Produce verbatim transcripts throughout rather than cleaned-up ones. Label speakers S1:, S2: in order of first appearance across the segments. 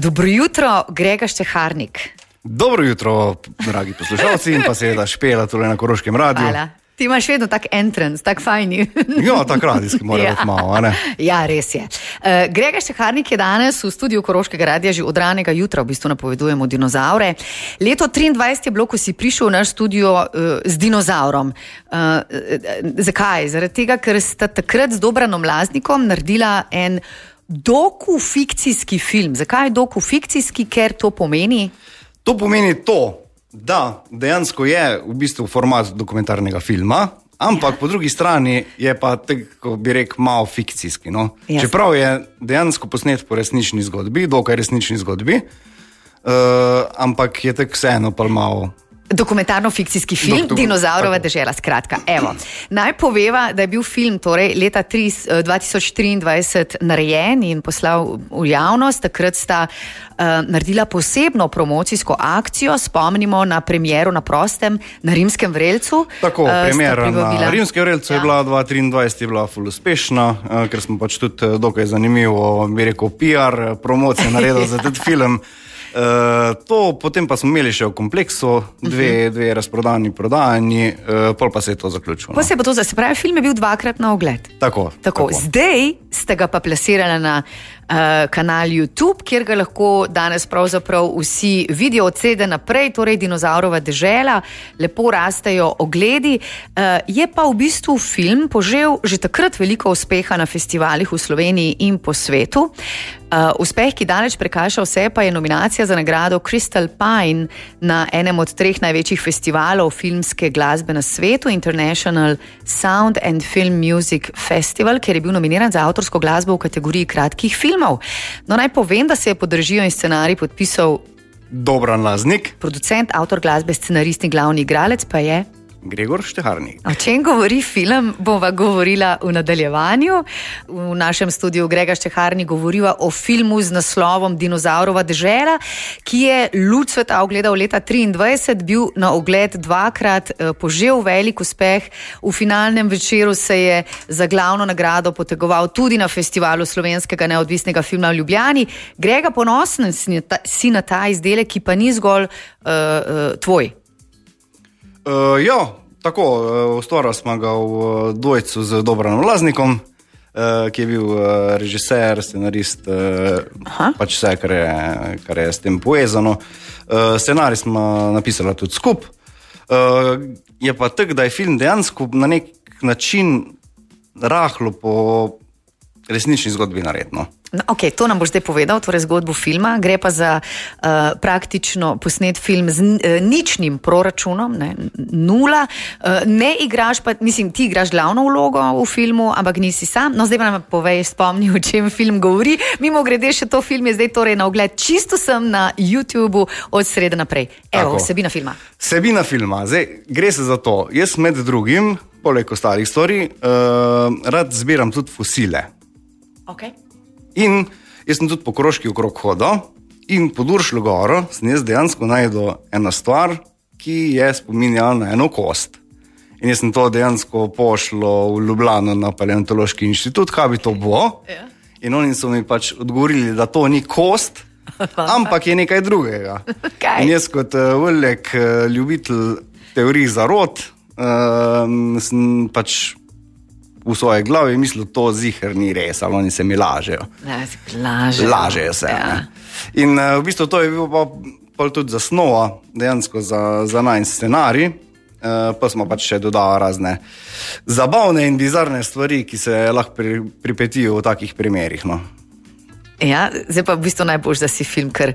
S1: Dobro jutro, Grega Šteharnik.
S2: Dobro jutro, dragi poslušalci in pa seveda Špela tule na Koroškem radiju.
S1: Hvala. Ti imaš vedno tak entrance, tak fajni.
S2: Ja, tak radijski mora
S1: ja.
S2: biti malo, a ne?
S1: Ja, res je. Uh, Grega Šteharnik je danes v studiu Koroškega radija že od ranega jutra, v bistvu napovedujemo dinozaure. Leto triindvajset je bilo, ko si prišel v naš studio uh, z dinozaurom. Uh, uh, zakaj? Zaradi tega, ker sta takrat z Dobranom Laznikom naredila en dokufikcijski film. Zakaj dokufikcijski? Ker to pomeni?
S2: To pomeni to, da dejansko je v bistvu format dokumentarnega filma, ampak ja. Po drugi strani je pa, tako bi rekel, malo fikcijski. No? Čeprav je dejansko posnet po resnični zgodbi, dokaj resnični zgodbi, uh, ampak je tako vseeno pa malo...
S1: Dokumentarno-fikcijski film, Dok, Dinozaurova dežela, skratka. Evo, naj poveva, da je bil film torej leta dva tisoč triindvajset narejen in poslal v javnost. Takrat sta uh, naredila posebno promocijsko akcijo, spomnimo na premiero na prostem na Rimskem vrelcu.
S2: Tako, uh, premiera na Rimskem vrelcu ja. je bila dva tisoč triindvajset je bila ful uspešna, uh, ker smo pač tudi dokaj zanimivo, bi rekel, P R promocijo naredili za tudi film. Uh, to potem pa smo imeli še v kompleksu, dve, dve razprodani, prodajani, uh, pol pa se je to zaključilo.
S1: Pa se je pa to, se pravi, film je bil dvakrat na ogled.
S2: Tako,
S1: tako. tako. Zdaj ste ga pa plasirali na uh, kanal YouTube, kjer ga lahko danes pravzaprav vsi vidijo od sede naprej, torej Dinozaurova dežela, lepo rastejo ogledi. Uh, je pa v bistvu film požel že takrat veliko uspeha na festivalih v Sloveniji in po svetu. Uh, uspeh, ki daleč prekaša vse, pa je nominacija za nagrado Crystal Pine na enem od treh največjih festivalov filmske glasbe na svetu, International Sound and Film Music Festival, kjer je bil nominiran za avtorsko glasbo v kategoriji kratkih filmov. No, naj povem, da se je pod režijo in scenarij podpisal
S2: Dobran Laznik,
S1: producent, avtor glasbe, scenarist in glavni igralec pa je
S2: Gregor Šteharnik.
S1: O čem govori film, bova govorila v nadaljevanju. V našem studiu Grega Šteharnik govoriva o filmu z naslovom Dinozaurova dežela, ki je luč sveta ogledal leta triindvajset, bil na ogled dvakrat, požel velik uspeh. V finalnem večeru se je za glavno nagrado potegoval tudi na festivalu slovenskega neodvisnega filma v Ljubljani. Grega, ponosen si na ta izdelek, ki pa ni zgolj uh, uh, tvoj.
S2: Uh, ja, tako, uh, ustvarili smo ga v uh, dvojcu z Dobranom Laznikom, uh, ki je bil uh, režiser, scenarist, uh, pač vse, kar je, kar je s tem povezano. Uh, scenarij smo napisali tudi skup. Uh, je pa tak, da je film dejansko na nek način rahlo po resnični zgodbi naredno.
S1: No, ok, to nam boš zdaj povedal, torej zgodbo filma. Gre pa za uh, praktično posnet film z uh, ničnim proračunom, ne, nula. Uh, ne igraš pa, mislim, ti igraš glavno vlogo v filmu, ampak nisi sam. No, zdaj pa nam povej, spomni, o čem film govori. Mimo grede še to film je zdaj torej na ogled čisto sem na YouTubeu od srede naprej. Evo, vsebina filma.
S2: Vsebina filma, zdaj gre se za to. Jaz med drugim, poleg ostalih stvari, uh, rad zbiram tudi fosile.
S1: Ok.
S2: In jaz sem tudi po Koroški okrog hodil in pod Uršljo goro sem jaz dejansko najdel eno stvar, ki je spominjala na eno kost. In jaz sem to dejansko pošlo v Ljubljano na Paleontološki inštitut, kaj bi to bilo. Ja. In oni so mi pač odgovorili, da to ni kost, ampak je nekaj drugega. Kaj? In jaz kot uh, velik uh, ljubitelj teorij zarot uh, sem pač v svoje glavi mislil, to ziher ni res, ali oni se mi lažejo.
S1: Lažejo.
S2: Lažejo se. Ja. In uh, v bistvu to je bilo pa, pa tudi zasnova dejansko za, za najin scenarij, uh, pa smo pač še dodali razne zabavne in bizarne stvari, ki se lahko pri, pripetijo v takih primerih. No.
S1: Ja, zdaj pa v bistvu najbolj, da si film kar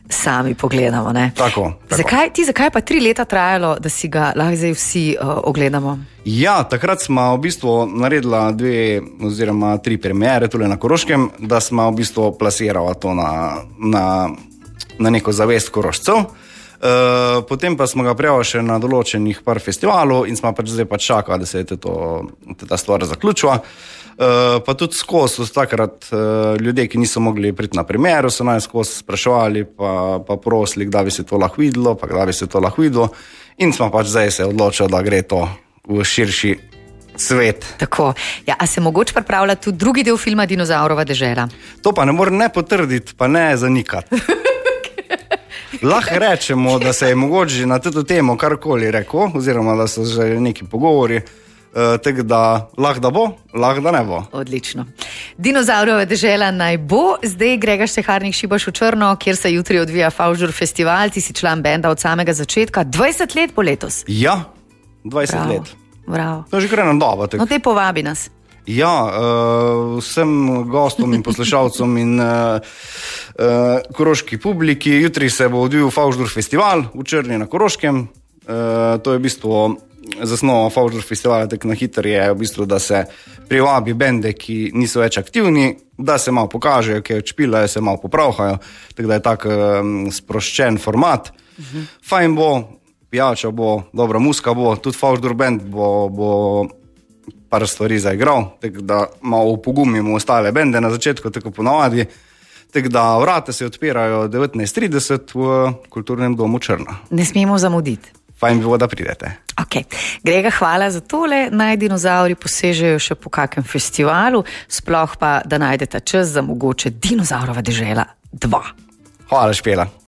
S1: sami pogledamo. Ne?
S2: Tako, tako.
S1: Zakaj, ti, zakaj pa tri leta trajalo, da si ga lahko zdaj vsi uh, ogledamo?
S2: Ja, takrat smo v bistvu naredila dve oziroma tri premiere tule na Koroškem, da smo v bistvu plasirala to na, na, na neko zavest Korošcev. Uh, potem pa smo ga prijavili še na določenih par festivalov in smo pač zdaj pač čakali, da se je to, ta stvar zaključila. Uh, pa tudi skozi so takrat uh, ljudje, ki niso mogli priti na premiero, so naj skozi spraševali pa, pa prosili, da bi se to lahko videlo, pa da bi se to lahko videlo. In smo pač zdaj se odločili, da gre to v širši svet.
S1: Tako. Ja, a se mogoče pripravlja tudi drugi del filma Dinozaurova dežela?
S2: To pa ne morem ne potrditi, pa ne zanikati. Lahko rečemo, da se je mogoče na to temo karkoli rekel, oziroma da so že neki pogovori, uh, tako da lahko da bo, lahko da ne bo.
S1: Odlično. Dinozaurova dežela naj bo. Zdaj Grega Šteharnik šibaš v Črno, kjer se jutri odvija Favžur festival. Ti si član benda od samega začetka. dvajset let bo letos.
S2: Ja, dvajset
S1: Bravo.
S2: let.
S1: Bravo.
S2: To je že kar ena doba.
S1: No, te povabi nas.
S2: Ja, uh, vsem gostom in poslušalcem in uh, uh, koroški publiki. Jutri se bo odvijal Favžur festival v Črni na Koroškem. Uh, to je v bistvu zasnova Favžur festivala, tako na hitro je v bistvu, da se privabi bende, ki niso več aktivni, da se malo pokažejo, ki odšpilajo, se malo popravhajo, tako da je tak um, sproščen format. Uh-huh. Fajn bo, pijača bo, dobra muska bo, tudi Favžur band bo, bo par stvari zaigral, tako da malo upogumimo ostale bende na začetku, tako ponavadi. Tako da vrata se odpirajo devetnajst trideset v Kulturnem domu Črna.
S1: Ne smemo zamuditi.
S2: Fajn bi bilo, da pridete.
S1: Okay. Grega, hvala za tole. Naj dinozauri posežejo še po kakem festivalu, sploh pa, da najdete čas za mogoče Dinozaurova dežela dva.
S2: Hvala, Špela.